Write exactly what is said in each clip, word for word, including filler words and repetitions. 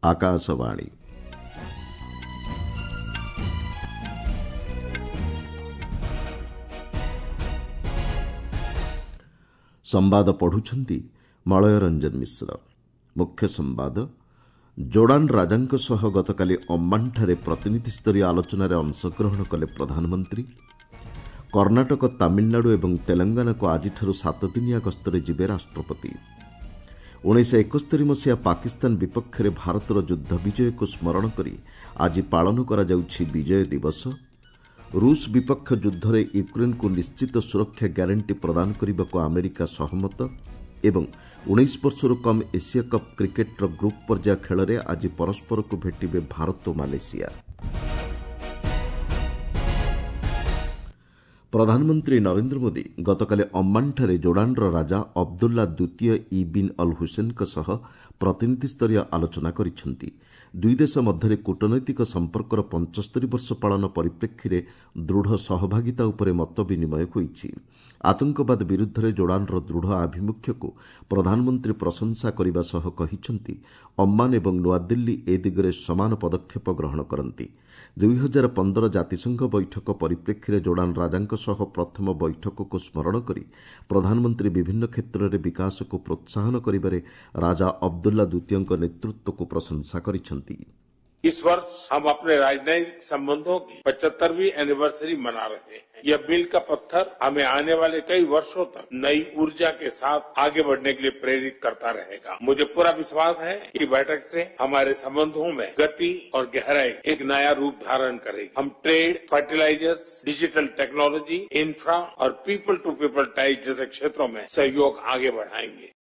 ଆକାଶବାଣୀ। ସମ୍ବାଦ ପଢୁଛନ୍ତି ମଳୟ ରଞ୍ଜନ ମିଶ୍ର। ମୁଖ୍ୟ ସମ୍ବାଦ, ଜୋର୍ଡାନ ରାଜାଙ୍କ ସହ ଗତକାଲି ଅମ୍ମାନଠାରେ ପ୍ରତିନିଧିସ୍ତରୀୟ ଆଲୋଚନାରେ ଅଂଶଗ୍ରହଣ କଲେ ପ୍ରଧାନମନ୍ତ୍ରୀ। କର୍ଣ୍ଣାଟକ, ତାମିଲନାଡୁ ଏବଂ ତେଲଙ୍ଗାନାକୁ ଆଜିଠାରୁ ସାତଦିନିଆ ଗସ୍ତରେ ଯିବେ ରାଷ୍ଟ୍ରପତି। ଉଣେଇଶହ ଏକସ୍ତରୀ ମସିହା ପାକିସ୍ତାନ ବିପକ୍ଷରେ ଭାରତର ଯୁଦ୍ଧ ବିଜୟକୁ ସ୍ମରଣ କରି ଆଜି ପାଳନ କରାଯାଉଛି ବିଜୟ ଦିବସ। ରୁଷ ବିପକ୍ଷ ଯୁଦ୍ଧରେ ୟୁକ୍ରେନ୍କୁ ନିଶ୍ଚିତ ସୁରକ୍ଷା ଗ୍ୟାରେଣ୍ଟି ପ୍ରଦାନ କରିବାକୁ ଆମେରିକା ସହମତ। ଏବଂ ଉଣେଇଶ ବର୍ଷରୁ କମ୍ ଏସିଆ କପ୍ କ୍ରିକେଟ୍ର ଗ୍ରୁପ୍ ପର୍ଯ୍ୟାୟ ଖେଳରେ ଆଜି ପରସ୍ପରକୁ ଭେଟିବେ ଭାରତ ଓ ମାଲେସିଆ। ପ୍ରଧାନମନ୍ତ୍ରୀ ନରେନ୍ଦ୍ର ମୋଦି ଗତକାଲି ଅମ୍ମାନଠାରେ ଜୋର୍ଡାନର ରାଜା ଅବଦୁଲ୍ଲା ଦ୍ୱିତୀୟ ଇବିନ୍ ଅଲ୍ ହୁସେନ୍ଙ୍କ ସହ ପ୍ରତିନିଧିସ୍ତରୀୟ ଆଲୋଚନା କରିଛନ୍ତି। ଦୁଇ ଦେଶ ମଧ୍ୟରେ କୂଟନୈତିକ ସମ୍ପର୍କର ପଞ୍ଚସ୍ତରୀ ବର୍ଷ ପାଳନ ପରିପ୍ରେକ୍ଷୀରେ ଦୃଢ଼ ସହଭାଗିତା ଉପରେ ମତ ବିନିମୟ ହୋଇଛି। ଆତଙ୍କବାଦ ବିରୁଦ୍ଧରେ ଜୋର୍ଡାନର ଦୃଢ଼ ଆଭିମୁଖ୍ୟକୁ ପ୍ରଧାନମନ୍ତ୍ରୀ ପ୍ରଶଂସା କରିବା ସହ କହିଛନ୍ତି, ଅମ୍ମାନ ଏବଂ ନୂଆଦିଲ୍ଲୀ ଏ ଦିଗରେ ସମାନ ପଦକ୍ଷେପ ଗ୍ରହଣ କରନ୍ତି। ଦୁଇହଜାର ପନ୍ଦର ଜାତିସଂଘ ବୈଠକ ପରିପ୍ରେକ୍ଷୀରେ ଜୋର୍ଡାନ ରାଜାଙ୍କ ସହ ପ୍ରଥମ ବୈଠକକୁ ସ୍ମରଣ କରି ପ୍ରଧାନମନ୍ତ୍ରୀ ବିଭିନ୍ନ କ୍ଷେତ୍ରରେ ବିକାଶକୁ ପ୍ରୋତ୍ସାହନ କରିବାରେ ରାଜା ଅବଦୁଲ୍ଲା ଦ୍ୱିତୀୟଙ୍କ ନେତୃତ୍ୱକୁ ପ୍ରଶଂସା କରିଛନ୍ତି। इस वर्ष हम अपने राजनयिक संबंधों की पचहत्तरवीं एनिवर्सरी मना रहे हैं। यह मील का पत्थर हमें आने वाले कई वर्षों तक नई ऊर्जा के साथ आगे बढ़ने के लिए प्रेरित करता रहेगा। मुझे पूरा विश्वास है कि बैठक से हमारे संबंधों में गति और गहराई एक नया रूप धारण करेगी। हम trade, fertilisers, digital technology, infra और पीपल टू पीपल टाइज जैसे क्षेत्रों में सहयोग आगे बढ़ाएंगे।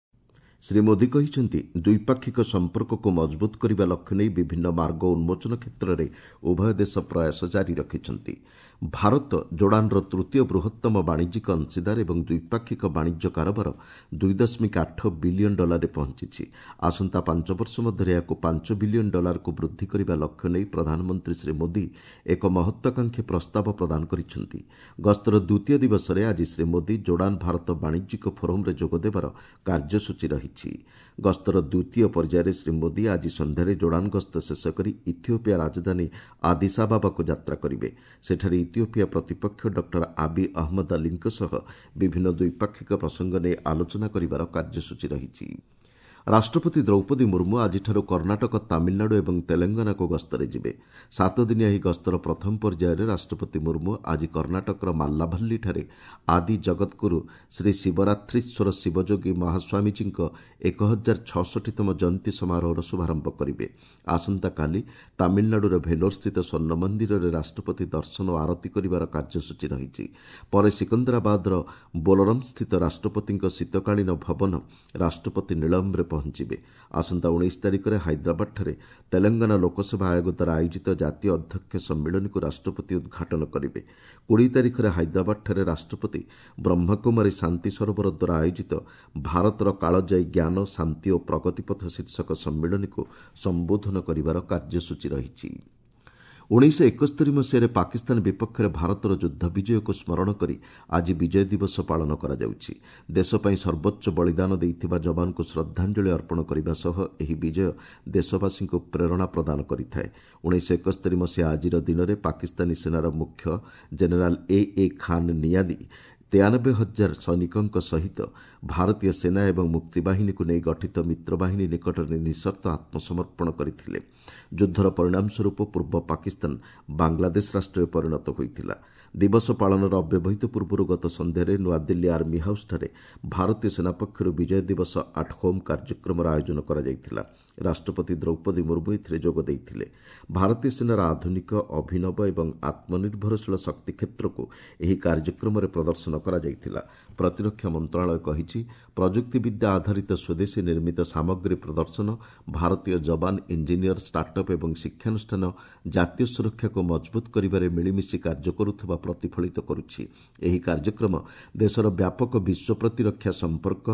ଶ୍ରୀ ମୋଦି କହିଛନ୍ତି, ଦ୍ୱିପାକ୍ଷିକ ସମ୍ପର୍କକୁ ମଜବୁତ କରିବା ଲକ୍ଷ୍ୟ ନେଇ ବିଭିନ୍ନ ମାର୍ଗ ଉନ୍ମୋଚନ କ୍ଷେତ୍ରରେ ଉଭୟ ଦେଶ ପ୍ରୟାସ ଜାରି ରଖିଛନ୍ତି। ଭାରତ ଜୋର୍ଡାନର ତୃତୀୟ ବୃହତ୍ତମ ବାଣିଜ୍ୟିକ ଅଂଶୀଦାର ଏବଂ ଦ୍ୱିପାକ୍ଷିକ ବାଣିଜ୍ୟ କାରବାର ଦୁଇ ଦଶମିକ ଆଠ ବିଲିୟନ ଡଲାରରେ ପହଞ୍ଚିଛି। ଆସନ୍ତା ପାଞ୍ଚ ବର୍ଷ ମଧ୍ୟରେ ଏହାକୁ ପାଞ୍ଚ ବିଲିୟନ ଡଲାରକୁ ବୃଦ୍ଧି କରିବା ଲକ୍ଷ୍ୟ ନେଇ ପ୍ରଧାନମନ୍ତ୍ରୀ ଶ୍ରୀ ମୋଦି ଏକ ମହତ୍ୱାକାଂକ୍ଷୀ ପ୍ରସ୍ତାବ ପ୍ରଦାନ କରିଛନ୍ତି। ଗସ୍ତର ଦ୍ୱିତୀୟ ଦିବସରେ ଆଜି ଶ୍ରୀ ମୋଦି ଜୋର୍ଡାନ ଭାରତ ବାଣିଜ୍ୟିକ ଫୋରମ୍ରେ ଯୋଗଦେବାର କାର୍ଯ୍ୟସୂଚୀ ରହିଛି। ଗସ୍ତର ଦ୍ୱିତୀୟ ପର୍ଯ୍ୟାୟରେ ଶ୍ରୀ ମୋଦି ଆଜି ସନ୍ଧ୍ୟାରେ ଜୋର୍ଡାନ ଗସ୍ତ ଶେଷ କରି ଇଥିଓପିଆ ରାଜଧାନୀ ଆଦିସ୍ ଆବାବାକୁ ଯାତ୍ରା କରିବେ। ସେଠାରେ ଇଥିଓପିଆ ପ୍ରତିପକ୍ଷ ଡକ୍ଟର ଆବି ଅହମ୍ମଦ ଅଲିଙ୍କ ସହ ବିଭିନ୍ନ ଦ୍ୱିପାକ୍ଷିକ ପ୍ରସଙ୍ଗ ନେଇ ଆଲୋଚନା କରିବାର କାର୍ଯ୍ୟସୂଚୀ ରହିଛି। ରାଷ୍ଟ୍ରପତି ଦ୍ରୌପଦୀ ମୁର୍ମୁ ଆଜିଠାରୁ କର୍ଣ୍ଣାଟକ, ତାମିଲନାଡୁ ଏବଂ ତେଲଙ୍ଗାନାକୁ ଗସ୍ତରେ ଯିବେ। ସାତଦିନିଆ ଏହି ଗସ୍ତର ପ୍ରଥମ ପର୍ଯ୍ୟାୟରେ ରାଷ୍ଟ୍ରପତି ମୁର୍ମୁ ଆଜି କର୍ଣ୍ଣାଟକର ମାଲ୍ଲାଭଲ୍ଲୀଠାରେ ଆଦି ଜଗଦ୍ଗୁରୁ ଶ୍ରୀ ଶିବରାତ୍ରୀଶ୍ୱର ଶିବଯୋଗୀ ମହାସ୍ୱାମୀଜୀଙ୍କ ଏକ ହଜାର ଛଅଷଠିତମ ଜୟନ୍ତୀ ସମାରୋହର ଶୁଭାରମ୍ଭ କରିବେ। ଆସନ୍ତାକାଲି ତାମିଲନାଡୁର ଭେଲୋରସ୍ଥିତ ସ୍ୱର୍ଣ୍ଣ ମନ୍ଦିରରେ ରାଷ୍ଟ୍ରପତି ଦର୍ଶନ ଓ ଆରତୀ କରିବାର କାର୍ଯ୍ୟସୂଚୀ ରହିଛି। ପରେ ସିକନ୍ଦରାବାଦର ବୋଲରମ୍ସ୍ଥିତ ରାଷ୍ଟ୍ରପତିଙ୍କ ଶୀତକାଳୀନ ଭବନ ରାଷ୍ଟ୍ରପତି ନୀଳମ୍ରେ ପହଞ୍ଚିବେ। ଆସନ୍ତା ଉଣେଇଶ ତାରିଖରେ ହାଇଦ୍ରାବାଦଠାରେ ତେଲଙ୍ଗାନା ଲୋକସେବା ଆୟୋଗ ଦ୍ୱାରା ଆୟୋଜିତ ଜାତୀୟ ଅଧ୍ୟକ୍ଷ ସମ୍ମିଳନୀକୁ ରାଷ୍ଟ୍ରପତି ଉଦ୍ଘାଟନ କରିବେ। କୋଡ଼ିଏ ତାରିଖରେ ହାଇଦ୍ରାବାଦଠାରେ ରାଷ୍ଟ୍ରପତି ବ୍ରହ୍ମକୁମାରୀ ଶାନ୍ତି ସରୋବର ଦ୍ୱାରା ଆୟୋଜିତ ଭାରତର କାଳଜୟୀ ଜ୍ଞାନ, ଶାନ୍ତି ଓ ପ୍ରଗତିପଥ ଶୀର୍ଷକ ସମ୍ମିଳନୀକୁ ସମ୍ବୋଧନ କରିବାର କାର୍ଯ୍ୟସୂଚୀ ରହିଛି। ଉଣେଇଶହ ଏକସ୍ତରୀ ମସିହାରେ ପାକିସ୍ତାନ ବିପକ୍ଷରେ ଭାରତର ଯୁଦ୍ଧ ବିଜୟକୁ ସ୍ମରଣ କରି ଆଜି ବିଜୟ ଦିବସ ପାଳନ କରାଯାଉଛି। ଦେଶ ପାଇଁ ସର୍ବୋଚ୍ଚ ବଳିଦାନ ଦେଇଥିବା ଯବାନଙ୍କୁ ଶ୍ରଦ୍ଧାଞ୍ଜଳି ଅର୍ପଣ କରିବା ସହ ଏହି ବିଜୟ ଦେଶବାସୀଙ୍କୁ ପ୍ରେରଣା ପ୍ରଦାନ କରିଥାଏ। ଉଣେଇଶହ ଏକସ୍ତରୀ ମସିହା ଆଜିର ଦିନରେ ପାକିସ୍ତାନୀ ସେନାର ମୁଖ୍ୟ ଜେନେରାଲ ଏ ଏ ଖାନ୍ ନିଆଦି ତେୟାନବେ ହଜାର ସୈନିକଙ୍କ ସହିତ ଭାରତୀୟ ସେନା ଏବଂ ମୁକ୍ତିବାହିନୀକୁ ନେଇ ଗଠିତ ମିତ୍ରବାହିନୀ ନିକଟରେ ନିଃସର୍ତ୍ତ ଆତ୍ମସମର୍ପଣ କରିଥିଲେ। ଯୁଦ୍ଧର ପରିଣାମ ସ୍ୱରୂପ ପୂର୍ବ ପାକିସ୍ତାନ ବାଂଲାଦେଶ ରାଷ୍ଟ୍ରରେ ପରିଣତ ହୋଇଥିଲା। ଦିବସ ପାଳନର ଅବ୍ୟବହିତ ପୂର୍ବରୁ ଗତ ସନ୍ଧ୍ୟାରେ ନୂଆଦିଲ୍ଲୀ ଆର୍ମି ହାଉସ୍ଠାରେ ଭାରତୀୟ ସେନା ପକ୍ଷରୁ ବିଜୟ ଦିବସ ଆଟ୍ ହୋମ୍ କାର୍ଯ୍ୟକ୍ରମର ଆୟୋଜନ କରାଯାଇଥିଲା। ରାଷ୍ଟ୍ରପତି ଦ୍ରୌପଦୀ ମୁର୍ମୁ ଏଥିରେ ଯୋଗ ଦେଇଥିଲେ। ଭାରତୀୟ ସେନାର ଆଧୁନିକ, ଅଭିନବ ଏବଂ ଆତ୍ମନିର୍ଭରଶୀଳ ଶକ୍ତି କ୍ଷେତ୍ରକୁ ଏହି କାର୍ଯ୍ୟକ୍ରମରେ ପ୍ରଦର୍ଶନ କରାଯାଇଥିଲା। ପ୍ରତିରକ୍ଷା ମନ୍ତ୍ରଣାଳୟ କହିଛି, ପ୍ରଯୁକ୍ତିବିଦ୍ୟା ଆଧାରିତ ସ୍ୱଦେଶୀ ନିର୍ମିତ ସାମଗ୍ରୀ ପ୍ରଦର୍ଶନ ଭାରତୀୟ ଯବାନ, ଇଞ୍ଜିନିୟର, ଷ୍ଟାର୍ଟଅପ୍ ଏବଂ ଶିକ୍ଷାନୁଷ୍ଠାନ ଜାତୀୟ ସୁରକ୍ଷାକୁ ମଜବୁତ କରିବାରେ ମିଳିମିଶି କାର୍ଯ୍ୟ କରୁଥିବା ପ୍ରତିଫଳିତ କରୁଛି। ଏହି କାର୍ଯ୍ୟକ୍ରମ ଦେଶର ବ୍ୟାପକ ବିଶ୍ୱ ପ୍ରତିରକ୍ଷା ସମ୍ପର୍କ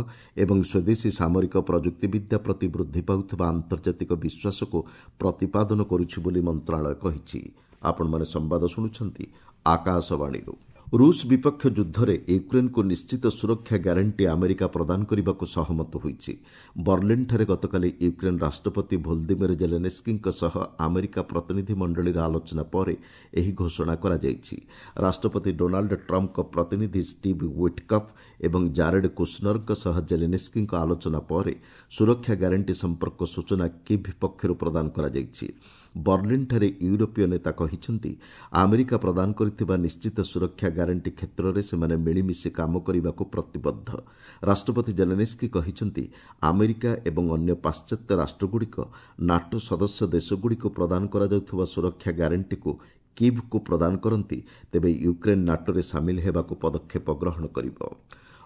ଏବଂ ସ୍ୱଦେଶୀ ସାମରିକ ପ୍ରଯୁକ୍ତିବିଦ୍ୟା ପ୍ରତି ବୃଦ୍ଧି ପାଉଥିବା ଆନ୍ତର୍ଜାତିକ ବିଶ୍ୱାସକୁ ପ୍ରତିପାଦନ କରୁଛି ବୋଲି ମନ୍ତ୍ରଣାଳୟ କହିଛି। ଆପଣମାନେ ସମ୍ବାଦ ଶୁଣୁଛନ୍ତି ଆକାଶବାଣୀରୁ। ରୁଷ ବିପକ୍ଷ ଯୁଦ୍ଧରେ ୟୁକ୍ରେନ୍କୁ ନିଶ୍ଚିତ ସୁରକ୍ଷା ଗ୍ୟାରେଣ୍ଟି ଆମେରିକା ପ୍ରଦାନ କରିବାକୁ ସହମତ ହୋଇଛି। ବର୍ଲିନ୍ଠାରେ ଗତକାଲି ୟୁକ୍ରେନ୍ ରାଷ୍ଟ୍ରପତି ଭୋଲଦିମିର ଜେଲେନ୍ସ୍କିଙ୍କ ସହ ଆମେରିକା ପ୍ରତିନିଧି ମଣ୍ଡଳୀର ଆଲୋଚନା ପରେ ଏହି ଘୋଷଣା କରାଯାଇଛି। ରାଷ୍ଟ୍ରପତି ଡୋନାଲ୍ଡ ଟ୍ରମ୍ପଙ୍କ ପ୍ରତିନିଧି ଷ୍ଟିଭ୍ ୱିଟ୍କଫ୍ ଏବଂ ଜାରେଡ୍ କୁଶନରଙ୍କ ସହ ଜେଲେନ୍ସ୍କିଙ୍କ ଆଲୋଚନା ପରେ ସୁରକ୍ଷା ଗ୍ୟାରେଣ୍ଟି ସମ୍ପର୍କ ସୂଚନା କିଭ୍ ପକ୍ଷରୁ ପ୍ରଦାନ କରାଯାଇଛି। ବର୍ଲିନ୍ଠାରେ ୟୁରୋପୀୟ ନେତା କହିଛନ୍ତି, ଆମେରିକା ପ୍ରଦାନ କରିଥିବା ନିଶ୍ଚିତ ସୁରକ୍ଷା ଗ୍ୟାରେଣ୍ଟି କ୍ଷେତ୍ରରେ ସେମାନେ ମିଳିମିଶି କାମ କରିବାକୁ ପ୍ରତିବଦ୍ଧ। ରାଷ୍ଟ୍ରପତି ଜେଲେନ୍ସ୍କି କହିଛନ୍ତି, ଆମେରିକା ଏବଂ ଅନ୍ୟ ପାଶ୍ଚାତ୍ୟ ରାଷ୍ଟ୍ରଗୁଡ଼ିକ ନାଟୋ ସଦସ୍ୟ ଦେଶଗୁଡ଼ିକୁ ପ୍ରଦାନ କରାଯାଉଥିବା ସୁରକ୍ଷା ଗ୍ୟାରେଣ୍ଟିକୁ କିଭ୍କୁ ପ୍ରଦାନ କରନ୍ତି, ତେବେ ୟୁକ୍ରେନ୍ ନାଟୋରେ ସାମିଲ ହେବାକୁ ପଦକ୍ଷେପ ଗ୍ରହଣ କରିବ।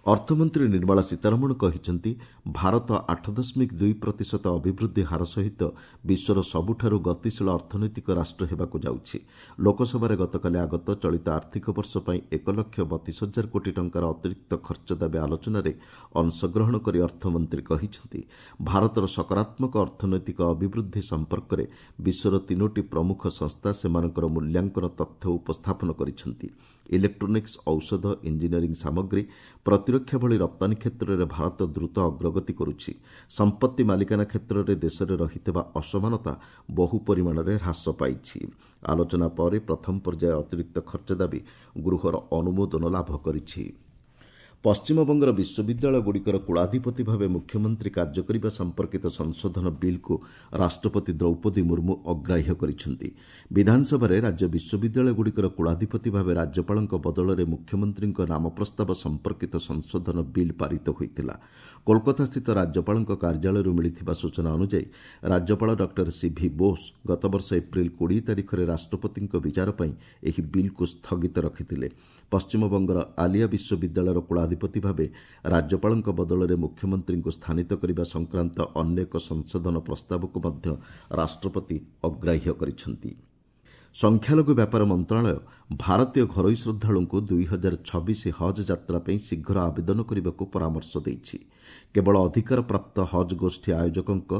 ଅର୍ଥମନ୍ତ୍ରୀ ନିର୍ମଳା ସୀତାରମଣ କହିଛନ୍ତି, ଭାରତ ଆଠ ଦଶମିକ ଦୁଇ ପ୍ରତିଶତ ଅଭିବୃଦ୍ଧି ହାର ସହିତ ବିଶ୍ୱର ସବୁଠାରୁ ଗତିଶୀଳ ଅର୍ଥନୈତିକ ରାଷ୍ଟ୍ର ହେବାକୁ ଯାଉଛି। ଲୋକସଭାରେ ଗତକାଲି ଆଗତ ଚଳିତ ଆର୍ଥିକ ବର୍ଷ ପାଇଁ ଏକ ଲକ୍ଷ ବତିଶ ହଜାର କୋଟି ଟଙ୍କାର ଅତିରିକ୍ତ ଖର୍ଚ୍ଚ ଦାବି ଆଲୋଚନାରେ ଅଂଶଗ୍ରହଣ କରି ଅର୍ଥମନ୍ତ୍ରୀ କହିଛନ୍ତି, ଭାରତର ସକାରାତ୍ମକ ଅର୍ଥନୈତିକ ଅଭିବୃଦ୍ଧି ସମ୍ପର୍କରେ ବିଶ୍ୱର ତିନୋଟି ପ୍ରମୁଖ ସଂସ୍ଥା ସେମାନଙ୍କର ମୂଲ୍ୟାଙ୍କନ ତଥ୍ୟ ଉପସ୍ଥାପନ କରିଛନ୍ତି। ଇଲେକ୍ଟ୍ରୋନିକ୍ସ, ଔଷଧ, ଇଞ୍ଜିନିୟରିଂ ସାମଗ୍ରୀ, ପ୍ରତିରକ୍ଷା ଭଳି ରପ୍ତାନୀ କ୍ଷେତ୍ରରେ ଭାରତ ଦ୍ରୁତ ଅଗ୍ରଗତି କରୁଛି। ସମ୍ପତ୍ତି ମାଲିକାନା କ୍ଷେତ୍ରରେ ଦେଶରେ ରହିଥିବା ଅସମାନତା ବହୁ ପରିମାଣରେ ହ୍ରାସ ପାଇଛି। ଆଲୋଚନା ପରେ ପ୍ରଥମ ପର୍ଯ୍ୟାୟ ଅତିରିକ୍ତ ଖର୍ଚ୍ଚ ଦାବି ଗୃହର ଅନୁମୋଦନ ଲାଭ କରିଛି। ପଶ୍ଚିମବଙ୍ଗର ବିଶ୍ୱବିଦ୍ୟାଳୟଗୁଡ଼ିକର କୁଳାଧିପତି ଭାବେ ମୁଖ୍ୟମନ୍ତ୍ରୀ କାର୍ଯ୍ୟ କରିବା ସମ୍ପର୍କିତ ସଂଶୋଧନ ବିଲ୍କୁ ରାଷ୍ଟ୍ରପତି ଦ୍ରୌପଦୀ ମୁର୍ମୁ ଅଗ୍ରାହ୍ୟ କରିଛନ୍ତି। ବିଧାନସଭାରେ ରାଜ୍ୟ ବିଶ୍ୱବିଦ୍ୟାଳୟଗୁଡ଼ିକର କୁଳାଧିପତି ଭାବେ ରାଜ୍ୟପାଳଙ୍କ ବଦଳରେ ମୁଖ୍ୟମନ୍ତ୍ରୀଙ୍କ ନାମ ପ୍ରସ୍ତାବ ସମ୍ପର୍କିତ ସଂଶୋଧନ ବିଲ୍ ପାରିତ ହୋଇଥିଲା। କୋଲକାତାସ୍ଥିତ ରାଜ୍ୟପାଳଙ୍କ କାର୍ଯ୍ୟାଳୟରୁ ମିଳିଥିବା ସୂଚନା ଅନୁଯାୟୀ ରାଜ୍ୟପାଳ ଡକ୍ଟର ସିଭି ବୋଷ ଗତବର୍ଷ ଏପ୍ରିଲ କୋଡ଼ିଏ ତାରିଖରେ ରାଷ୍ଟ୍ରପତିଙ୍କ ବିଚାର ପାଇଁ ଏହି ବିଲ୍କୁ ସ୍ଥଗିତ ରଖିଥିଲେ। ପଶ୍ଚିମବଙ୍ଗର ଆଲିଆ ବିଶ୍ୱବିଦ୍ୟାଳୟର କୁଳାଧିପତି ଭାବେ ରାଜ୍ୟପାଳଙ୍କ ବଦଳରେ ମୁଖ୍ୟମନ୍ତ୍ରୀଙ୍କୁ ସ୍ଥାନିତ କରିବା ସଂକ୍ରାନ୍ତ ଅନ୍ୟ ଏକ ସଂଶୋଧନ ପ୍ରସ୍ତାବକୁ ମଧ୍ୟ ରାଷ୍ଟ୍ରପତି ଅଗ୍ରାହ୍ୟ କରିଛନ୍ତି। ସଂଖ୍ୟାଲଘୁ ବ୍ୟାପାର ମନ୍ତ୍ରଣାଳୟ ଭାରତୀୟ ଘରୋଇ ଶ୍ରଦ୍ଧାଳୁଙ୍କୁ ଦୁଇ ହଜାର ଛବିଶ ହଜ୍ ଯାତ୍ରା ପାଇଁ ଶୀଘ୍ର ଆବେଦନ କରିବାକୁ ପରାମର୍ଶ ଦେଇଛି। କେବଳ ଅଧିକାରପ୍ରାପ୍ତ ହଜ୍ ଗୋଷ୍ଠୀ ଆୟୋଜକଙ୍କ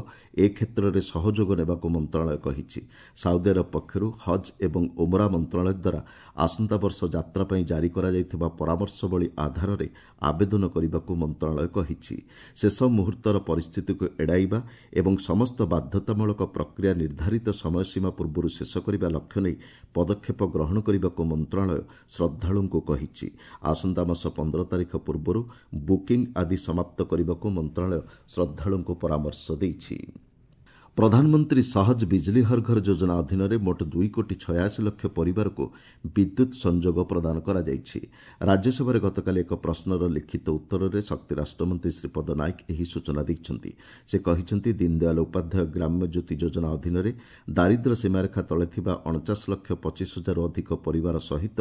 ଏ କ୍ଷେତ୍ରରେ ସହଯୋଗ ନେବାକୁ ମନ୍ତ୍ରଣାଳୟ କହିଛି। ସାଉଦି ଆରବ ପକ୍ଷରୁ ହଜ୍ ଏବଂ ଉମରା ମନ୍ତ୍ରଣାଳୟ ଦ୍ୱାରା ଆସନ୍ତା ବର୍ଷ ଯାତ୍ରା ପାଇଁ ଜାରି କରାଯାଇଥିବା ପରାମର୍ଶବଳୀ ଆଧାରରେ ଆବେଦନ କରିବାକୁ ମନ୍ତ୍ରଣାଳୟ କହିଛି। ଶେଷ ମୁହୂର୍ତ୍ତର ପରିସ୍ଥିତିକୁ ଏଡ଼ାଇବା ଏବଂ ସମସ୍ତ ବାଧ୍ୟତାମୂଳକ ପ୍ରକ୍ରିୟା ନିର୍ଦ୍ଧାରିତ ସମୟସୀମା ପୂର୍ବରୁ ଶେଷ କରିବା ଲକ୍ଷ୍ୟ ନେଇ ପଦକ୍ଷେପ ଗ୍ରହଣ କରିବାକୁ ମନ୍ତ୍ରଣାଳୟ ଶ୍ରଦ୍ଧାଳୁଙ୍କୁ କହିଛି। ଆସନ୍ତା ମାସ ପନ୍ଦର ତାରିଖ ପୂର୍ବରୁ ବୁକିଂ ଆଦି ସମାପ୍ତ କରିବାକୁ ମନ୍ତ୍ରଣାଳୟ ଶ୍ରଦ୍ଧାଳୁଙ୍କୁ ପରାମର୍ଶ ଦେଇଛି। ପ୍ରଧାନମନ୍ତ୍ରୀ ସହଜ ବିଜଲି ହର ଘର ଯୋଜନା ଅଧୀନରେ ମୋଟ ଦୁଇ କୋଟି ଛୟାଅଶୀ ଲକ୍ଷ ପରିବାରକୁ ବିଦ୍ୟୁତ୍ ସଂଯୋଗ ପ୍ରଦାନ କରାଯାଇଛି। ରାଜ୍ୟସଭାରେ ଗତକାଲି ଏକ ପ୍ରଶ୍ନର ଲିଖିତ ଉତ୍ତରରେ ଶକ୍ତି ରାଷ୍ଟ୍ରମନ୍ତ୍ରୀ ଶ୍ରୀପଦ ନାୟକ ଏହି ସୂଚନା ଦେଇଛନ୍ତି। ସେ କହିଛନ୍ତି, ଦୀନଦୟାଲ ଉପାଧ୍ୟାୟ ଗ୍ରାମ୍ୟ ଜ୍ୟୋତି ଯୋଜନା ଅଧୀନରେ ଦାରିଦ୍ର୍ୟ ସୀମାରେଖା ତଳେ ଥିବା ଅଣଚାଶ ଲକ୍ଷ ପଚିଶ ହଜାରରୁ ଅଧିକ ପରିବାର ସହିତ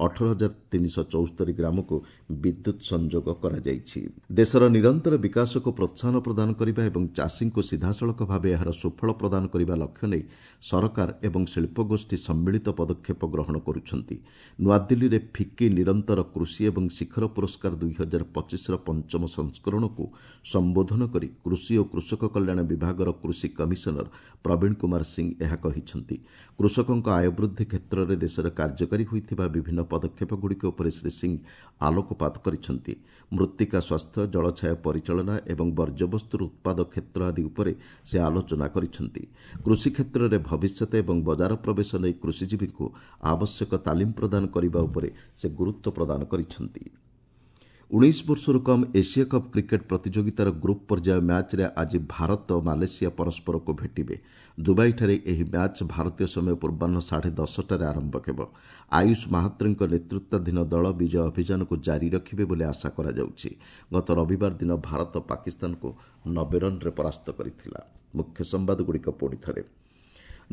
ଅଠର ହଜାର ତିନିଶହ ଚଉସ୍ତରୀ ଗ୍ରାମକୁ ବିଦ୍ୟୁତ୍ ସଂଯୋଗ କରାଯାଇଛି। ଦେଶର ନିରନ୍ତର ବିକାଶକୁ ପ୍ରୋତ୍ସାହନ ପ୍ରଦାନ କରିବା ଏବଂ ଚାଷୀଙ୍କୁ ସିଧାସଳଖ ଭାବେ ଏହାର ସୁଫଳ ପ୍ରଦାନ କରିବା ଲକ୍ଷ୍ୟ ନେଇ ସରକାର ଏବଂ ଶିଳ୍ପଗୋଷ୍ଠୀ ସମ୍ମିଳିତ ପଦକ୍ଷେପ ଗ୍ରହଣ କରୁଛନ୍ତି। ନୂଆଦିଲ୍ଲୀରେ ଫିକି ନିରନ୍ତର କୃଷି ଏବଂ ଶିଖର ପୁରସ୍କାର ଦୁଇ ହଜାର ପଚିଶର ପଞ୍ଚମ ସଂସ୍କରଣକୁ ସମ୍ବୋଧନ କରି କୃଷି ଓ କୃଷକ କଲ୍ୟାଣ ବିଭାଗର କୃଷି କମିଶନର ପ୍ରବୀଣ କୁମାର ସିଂ ଏହା କହିଛନ୍ତି। କୃଷକଙ୍କ ଆୟ ବୃଦ୍ଧି କ୍ଷେତ୍ରରେ ଦେଶରେ କାର୍ଯ୍ୟକାରୀ ହୋଇଥିବା ବିଭିନ୍ନ ପଦକ୍ଷେପଗୁଡ଼ିକ ଉପରେ ଶ୍ରୀ ସିଂ ଆଲୋକପାତ କରିଛନ୍ତି। ମୃତ୍ତିକା ସ୍ୱାସ୍ଥ୍ୟ, ଜଳଛାୟା ପରିଚାଳନା ଏବଂ ବର୍ଜ୍ୟବସ୍ତୁର ଉତ୍ପାଦ କ୍ଷେତ୍ର ଆଦି ଉପରେ ସେ ଆଲୋଚନା କରିଛନ୍ତି। କୃଷି କ୍ଷେତ୍ରରେ ଭବିଷ୍ୟତ ଏବଂ ବଜାର ପ୍ରବେଶ ନେଇ କୃଷିଜୀବୀଙ୍କୁ ଆବଶ୍ୟକ ତାଲିମ ପ୍ରଦାନ କରିବା ଉପରେ ସେ ଗୁରୁତ୍ୱ ପ୍ରଦାନ କରିଛନ୍ତି। ଉଣେଇଶ ବର୍ଷରୁ କମ୍ ଏସିଆ କପ୍ କ୍ରିକେଟ୍ ପ୍ରତିଯୋଗିତାର ଗ୍ରୁପ୍ ପର୍ଯ୍ୟାୟ ମ୍ୟାଚ୍ରେ ଆଜି ଭାରତ ମାଲେସିଆ ପରସ୍ପରକୁ ଭେଟିବେ। ଦୁବାଇଠାରେ ଏହି ମ୍ୟାଚ୍ ଭାରତୀୟ ସମୟ ପୂର୍ବାହ୍ନ ସାଢ଼େ ଦଶଟାରେ ଆରମ୍ଭ ହେବ। ଆୟୁଷ ମାହାତ୍ରେଙ୍କ ନେତୃତ୍ୱାଧୀନ ଦଳ ବିଜୟ ଅଭିଯାନକୁ ଜାରି ରଖିବେ ବୋଲି ଆଶା କରାଯାଉଛି। ଗତ ରବିବାର ଦିନ ଭାରତ ପାକିସ୍ତାନକୁ ନବେ ରନ୍ରେ ପରାସ୍ତ କରିଥିଲା। ମୁଖ୍ୟ ସମ୍ବାଦଗୁଡ଼ିକ ପୁଣି ଥରେ।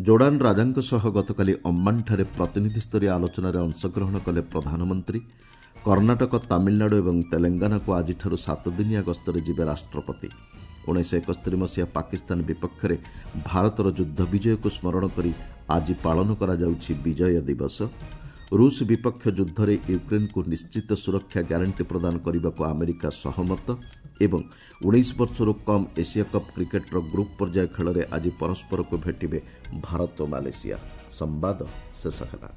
ଜୋର୍ଡାନ ରାଜାଙ୍କ ସହ ଗତକାଲି ଅମ୍ମାନଠାରେ ପ୍ରତିନିଧିସ୍ତରୀୟ ଆଲୋଚନାରେ ଅଂଶଗ୍ରହଣ କଲେ ପ୍ରଧାନମନ୍ତ୍ରୀ। କର୍ଣ୍ଣାଟକ, ତାମିଲନାଡୁ ଏବଂ ତେଲେଙ୍ଗାନାକୁ ଆଜିଠାରୁ ସାତଦିନିଆ ଗସ୍ତରେ ଯିବେ ରାଷ୍ଟ୍ରପତି। ଉଣେଇଶହ ଏକସ୍ତରୀ ମସିହା ପାକିସ୍ତାନ ବିପକ୍ଷରେ ଭାରତର ଯୁଦ୍ଧ ବିଜୟକୁ ସ୍ମରଣ କରି ଆଜି ପାଳନ କରାଯାଉଛି ବିଜୟ ଦିବସ। ରୁଷ ବିପକ୍ଷ ଯୁଦ୍ଧରେ ୟୁକ୍ରେନ୍କୁ ନିଶ୍ଚିତ ସୁରକ୍ଷା ଗ୍ୟାରେଣ୍ଟି ପ୍ରଦାନ କରିବାକୁ ଆମେରିକା ସହମତ। ଏବଂ ଉଣେଇଶ ବର୍ଷରୁ କମ୍ ଏସିଆ କପ୍ କ୍ରିକେଟ୍ର ଗ୍ରୁପ୍ ପର୍ଯ୍ୟାୟ ଖେଳରେ ଆଜି ପରସ୍ପରକୁ ଭେଟିବେ ଭାରତ ଓ ମାଲେସିଆ। ସମ୍ବାଦ ଶେଷ ହେଲା।